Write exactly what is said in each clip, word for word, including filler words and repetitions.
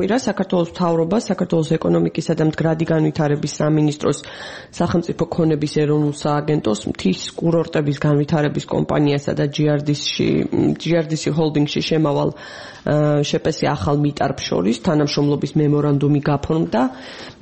კვირა საქართველოს მთავრობა საქართველოს ეკონომიკისა და მდგრადი განვითარების სამინისტროს სახელმწიფო ქონების ეროვნულ სააგენტოს მთის კურორტების განვითარების კომპანიასა და ჯი არ დი სი ჰოლდინგში შემავალ შეპესი ახალ მიტარბს შორის თანამშრომლობის მემორანდუმი გაფორმდა.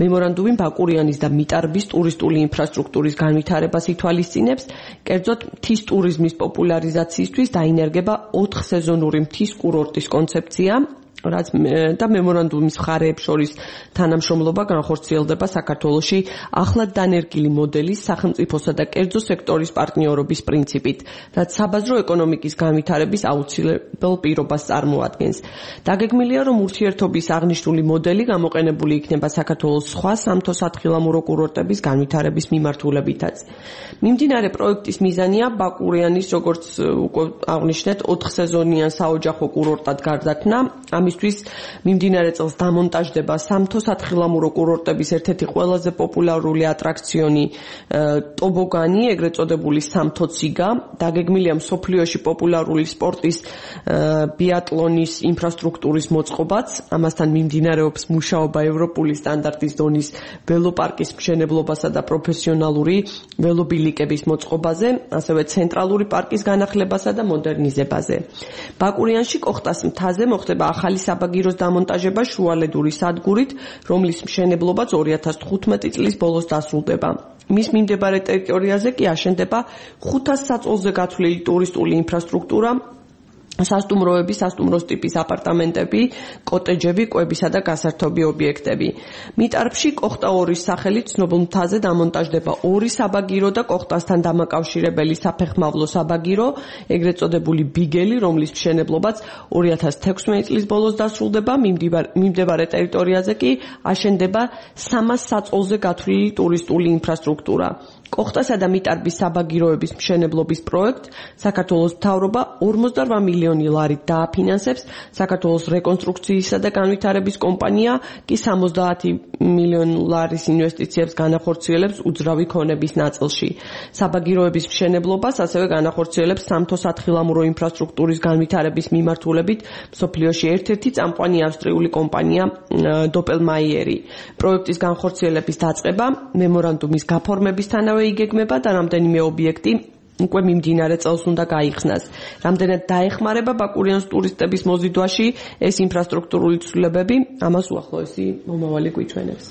მემორანდუმი ბაკურიანის და მიტარბის ტურისტული ინფრასტრუქტურის განვითარებას ითვალისწინებს, კერძოდ მთის ტურიზმის პოპულარიზაციისთვის დაინერგება ოთხ სეზონური მთის კურორტის კონცეფცია, რაც და მემორანდუმის მხარეებს შორის თანამშრომლობა განხორციელდება საქართველოში ახლად დანერგილი მოდელის სახელმწიფოსა და კერძო სექტორის პარტნიორობის პრინციპით, რაც საბაზრო ეკონომიკის განვითარების აუცილებელ პირობას წარმოადგენს. დაგეგმილია, რომ ურთიერთობის აღნიშნული მოდელი გამოყენებული იქნება საქართველოს სხვა სამთო-სათხილამურო კურორტების განვითარების მიმართულებითაც. მიმდინარე პროექტის მიზანია ბაკურიანის, როგორც უკვე აღნიშნეთ, ოთხსეზონიან საოჯახო კურორტად გარდაქმნა. ამისთვის მიმდინარე წელს დამონტაჟდება სამთო-სათხილამურო კურორტების ერთ-ერთი ყველაზე პოპულარული ატრაქციონი ტობოგანი, ეგრეთ წოდებული სამთო-ციგა. დაგეგმილია მსოფლიოში პოპულარული სპორტის ბიატლონის ინფრასტრუქტურის მოწყობაც. ამასთან მიმდინარეობს მუშაობა ევროპული სტანდარტის დონის ველოპარკის მშენებლობასა და პროფესიონალური ველობილიკების მოწყობაზე, ასევე ცენტრალური პარკის განახლებასა და მოდერნიზებაზე. ბაკურიანში კოხტას მთაზე მოხდება ახალი საბაგიროს დამონტაჟება შუალედური სადგურით, რომლის მშენებლობაც ორი ათას თხუთმეტი წლის ბოლოს დასრულდება. მის მიმდებარე ტერიტორიაზე კი აშენდება ხუთას საწოლზე გათვლილი ტურისტული ინფრასტრუქტურა, სასტუმროები, სასტუმროს ტიპის აპარტამენტები, კოტეჯები, კვებისა და გასართობი ობიექტები. მიტარბში კოხტა ორის სახელით ცნობილ მთაზე დამონტაჟდება ორი საბაგირო და კოხტასთან დამაკავშირებელი საფეხმავლო საბაგირო, ეგრეთ წოდებული ბიგელი, რომლის მშენებლობაც ორი ათას თექვსმეტი წლის ბოლოს დასრულდება. მიმდებარე ტერიტორიაზე კი აშენდება სამას საწოლზე გათვლილი ტურისტული ინფრასტრუქტურა. კოხტასა და მიტარბის საბაგიროების მშენებლობის პროექტ საქართველოს მთავრობა ორმოცდარვა მილიონი ლარით დააფინანსებს, საქართველოს რეკონსტრუქციისა და განვითარების კომპანია კი სამოცდაათი მილიონი ლარის ინვესტიციებს განახორციელებს უძრავი ქონების ნაწილში. საბაგიროების მშენებლობას ასევე განახორციელებს სამთო-სათხილამურო ინფრასტრუქტურის განვითარების მიმართულებით მსოფლიოში ერთ-ერთი წამყვანი ავსტრიული კომპანია დოპელმაიერი. პროექტის განხორციელების დაწყება მემორანდუმის გაფორმებისთანავე იგეგმება და რამდენიმე ობიექტი უკვე მიმდინარე წელს უნდა გაიხსნას. რამდენად დაეხმარება ბაკურიანის ტურისტების მოზიდვაში ეს ინფრასტრუქტურული ცვლილებები, ამას უახლოესი მომავალი გვიჩვენებს.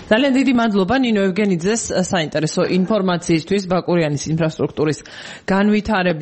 ძალიან დიდი მადლობა ნინო ევგენიძეს საინტერესო ინფორმაციისთვის ბაკურიანის ინფრასტრუქტურის განვითარების